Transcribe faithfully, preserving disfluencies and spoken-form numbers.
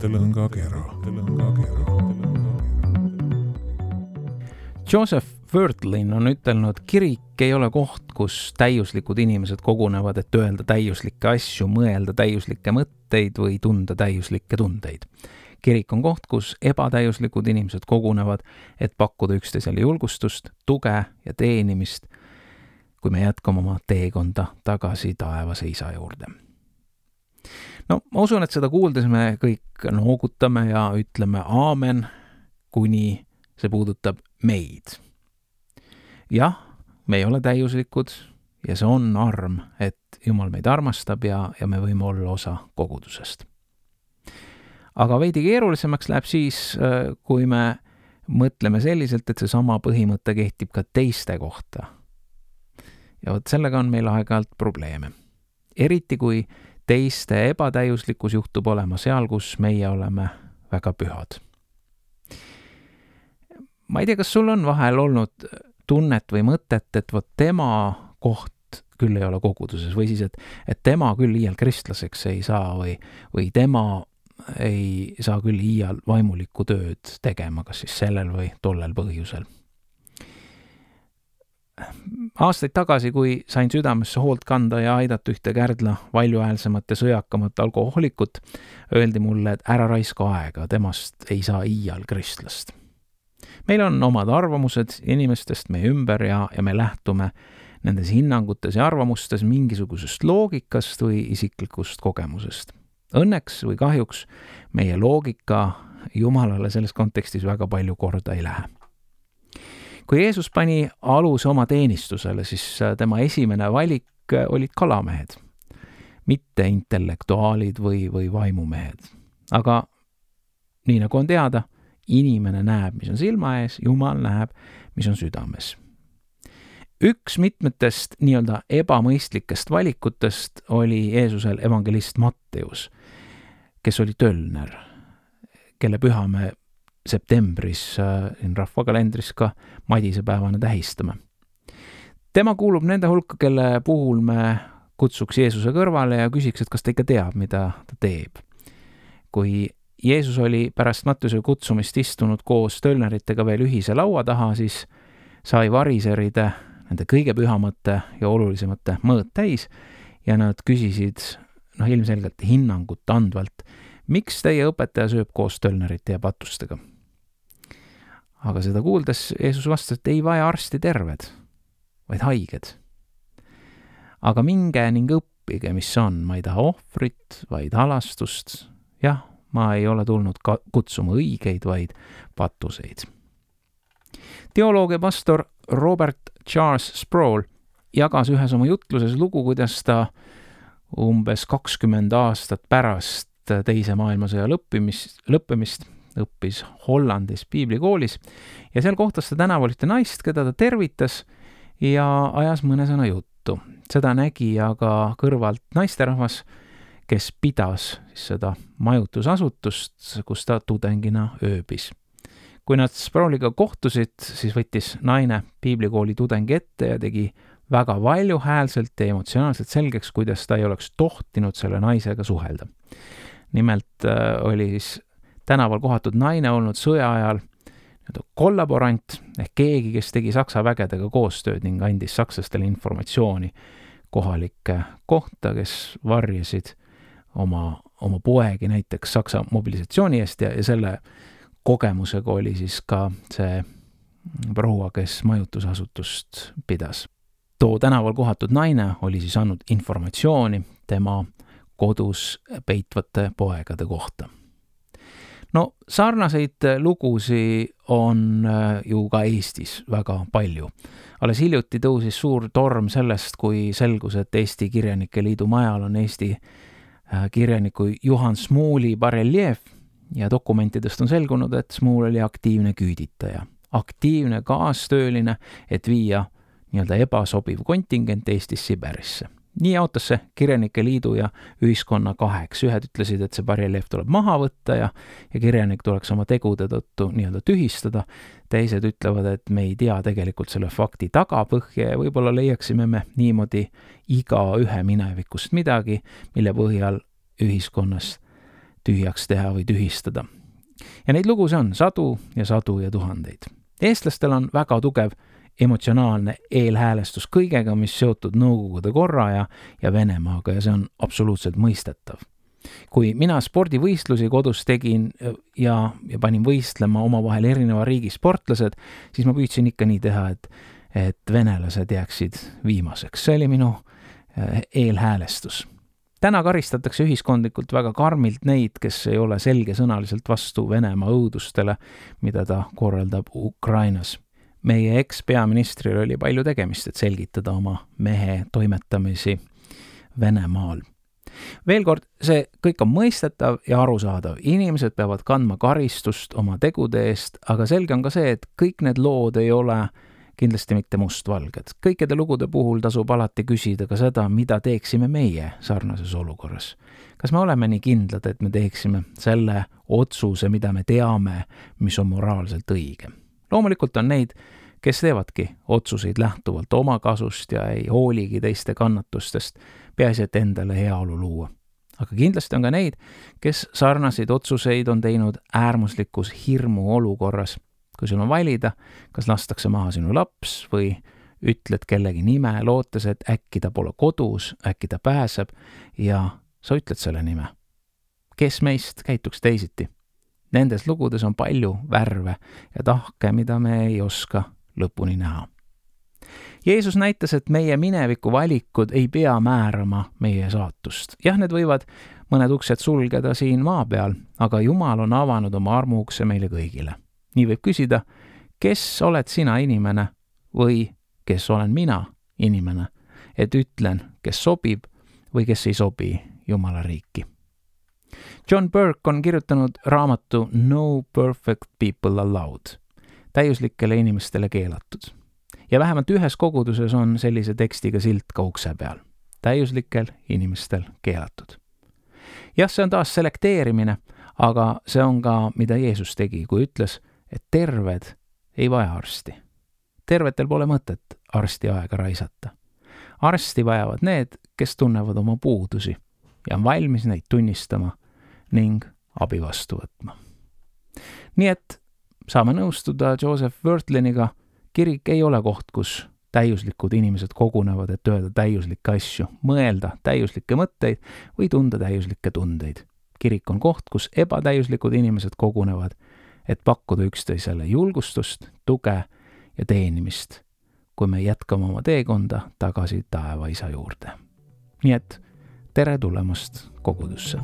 mõttelõngakera. Joseph Wirthlin on ütelnud, kirik ei ole koht, kus täiuslikud inimesed kogunevad, et öelda täiuslikke asju, mõelda täiuslikke mõtteid või tunda täiuslikke tundeid. Kirik on koht, kus ebatäiuslikud inimesed kogunevad, et pakkuda üksteisele julgustust, tuge ja teenimist, kui me jätkame oma teekonda tagasi taevase isa juurde. No, ma usun, et seda kuuldes me kõik noogutame ja ütleme aamen, kuni see puudutab meid. Jah, me ei ole täiuslikud ja see on arm, et Jumal meid armastab ja, ja me võime olla osa kogudusest. Aga veidi keerulisemaks läheb siis, kui me mõtleme selliselt, et see sama põhimõte kehtib ka teiste kohta. Ja vot sellega on meil aeg-ajalt probleeme. Eriti kui teiste ebatäiuslikkus juhtub olema seal, kus meie oleme väga pühad. Ma ei tea, kas sul on vahel olnud tunnet või mõtet, et vot tema koht küll ei ole koguduses või siis, et, et tema küll iial kristlaseks ei saa või, või tema ei saa küll iial vaimulikku tööd tegema, kas siis sellel või tollel põhjusel. Aastaid tagasi, kui sain südamesse hoolt kanda ja aidata ühte Kärdla valjuhäälsemat ja sõjakamat alkohoolikut, öeldi mulle, et ära raiska aega, temast ei saa iial kristlast. Meil on omad arvamused inimestest meie ümber ja, ja me lähtume nendes hinnangutes ja arvamustes mingisugusest loogikast või isiklikust kogemusest. Õnneks või kahjuks meie loogika Jumalale selles kontekstis väga palju korda ei lähe. Kui Jeesus pani aluse oma teenistusele, siis tema esimene valik olid kalamehed, mitte intellektuaalid või, või vaimumehed. Aga nii nagu on teada, inimene näeb, mis on silma ees, Jumal näeb, mis on südames. Üks mitmetest nii-öelda ebamõistlikest valikutest oli Jeesusel evangelist Matteus, kes oli tölner, kelle püha me septembris siin rahvakalendris ka madisepäevana tähistame. Tema kuulub nende hulka, kelle puhul me kutsuks Jeesuse kõrvale ja küsiks, et kas ta ikka teab, mida ta teeb. Kui Jeesus oli pärast Matteuse kutsumist istunud koos tölneritega veel ühise laua taha, siis sai variseride nende kõige pühamate ja olulisemate mõõt täis ja nad küsisid noh, ilmselgelt hinnangut andvalt, miks teie õpetaja sööb koos tölnerite ja patustega. Aga seda kuuldes Jeesus vastas, et ei vaja arsti terved, vaid haiged. Aga minge ning õppige, mis on, ma ei taha ohvrit, vaid halastust. Jah, ma ei ole tulnud kutsuma õigeid, vaid patuseid. Teoloog ja pastor Robert Charles Sproul jagas ühes oma jutluses lugu, kuidas ta umbes kakskümmend aastat pärast teise maailmasõja lõppimist, lõppemist õppis Hollandis piiblikoolis ja seal kohtas ta tänaval ühte naist, keda ta tervitas ja ajas mõne sõna juttu. Seda nägi aga kõrvalt naisterahvas, kes pidas seda majutusasutust, kus ta tudengina ööbis. Kui nad Sprouliga kohtusid, siis võttis naine piiblikooli tudengi ette ja tegi väga valjuhäälselt ja emotsionaalselt selgeks, kuidas ta ei oleks tohtinud selle naisega suhelda. Nimelt oli siis tänaval kohatud naine olnud sõja ajal kollaborant ehk keegi, kes tegi Saksa vägedega koostööd ning andis sakslastele informatsiooni kohalike kohta, kes varjasid oma, oma poegi näiteks Saksa mobilisatsiooni eest ja, ja selle kogemusega oli siis ka see proua, kes majutusasutust pidas. Too tänaval kohatud naine oli siis andnud informatsiooni tema kodus peitvate poegade kohta. No sarnaseid lugusi on ju ka Eestis väga palju. Alles hiljuti tõusis suur torm sellest, kui selgus, et Eesti Kirjanike Liidu majal on Eesti kirjaniku Juhan Smuuli bareljeef ja dokumentidest on selgunud, et Smuul oli aktiivne küüditaja, aktiivne kaastööline, et viia nii-öelda ebasobiv kontingent Eestis Siberisse. Nii jaotas see Kirjanike Liidu ja ühiskonna kaheks. Ühed ütlesid, et see bareljeef tuleb maha võtta ja, ja kirjanik tuleks oma tegude tõttu nii-öelda tühistada. Teised ütlevad, et me ei tea tegelikult selle fakti tagapõhja ja võib-olla leiaksime me niimoodi iga ühe minevikust midagi, mille põhjal ühiskonnas tühjaks teha või tühistada. Ja neid lugusid on sadu ja sadu ja tuhandeid. Eestlastel on väga tugev emotsionaalne eelhäälestus kõigega, mis seotud Nõukogude korra ja, ja Venemaaga ja see on absoluutselt mõistetav. Kui mina spordivõistlusi kodus tegin ja, ja panin võistlema omavahel erineva riigi sportlased, siis ma püüdsin ikka nii teha, et, et venelased jääksid viimaseks. See oli minu eelhäälestus. Täna karistatakse ühiskondlikult väga karmilt neid, kes ei ole selgesõnaliselt vastu Venemaa õudustele, mida ta korraldab Ukrainas. Meie eks-peaministril oli palju tegemist, et selgitada oma mehe toimetamisi Venemaal. Veel kord, see kõik on mõistetav ja arusaadav. Inimesed peavad kandma karistust oma tegude eest, aga selge on ka see, et kõik need lood ei ole kindlasti mitte mustvalged. Kõikide lugude puhul tasub alati küsida ka seda, mida teeksime meie sarnases olukorras. Kas me oleme nii kindlad, et me teeksime selle otsuse, mida me teame, mis on moraalselt õige? Loomulikult on neid, kes teevadki otsuseid lähtuvalt oma kasust ja ei hooligi teiste kannatustest, peaasi, et endale heaolu luua. Aga kindlasti on ka neid, kes sarnaseid otsuseid on teinud äärmuslikus hirmu olukorras. Kui sul on valida, kas lastakse maha sinu laps või ütled kellegi nime, lootes, et äkki ta pole kodus, äkki ta pääseb ja sa ütled selle nime. Kes meist käituks teisiti? Nendes lugudes on palju värve ja tahke, mida me ei oska lõpuni näha. Jeesus näitas, et meie mineviku valikud ei pea määrama meie saatust. Jah, need võivad mõned uksed sulgeda siin maa peal, aga Jumal on avanud oma armuukse meile kõigile. Nii võib küsida, kes oled sina inimene või kes olen mina inimene, et ütlen, kes sobib või kes ei sobi Jumala riiki. John Burke on kirjutanud raamatu No Perfect People Allowed, täiuslikele inimestele keelatud. Ja vähemalt ühes koguduses on sellise tekstiga silt ka ukse peal. Täiuslikel inimestel keelatud. Jah, see on taas selekteerimine, aga see on ka, mida Jeesus tegi, kui ütles, et terved ei vaja arsti. Tervetel pole mõtet arsti aega raisata. Arsti vajavad need, kes tunnevad oma puudusi ja on valmis neid tunnistama ning abi vastu võtma. Nii et saame nõustuda Joseph Wirtliniga, kirik ei ole koht, kus täiuslikud inimesed kogunevad, et öelda täiuslikke asju, mõelda täiuslikke mõtteid või tunda täiuslikke tundeid. Kirik on koht, kus ebatäiuslikud inimesed kogunevad, et pakkuda üksteisele julgustust, tuge ja teenimist, kui me jätkame oma teekonda tagasi taeva isa juurde. Nii et tere tulemast kogudusse!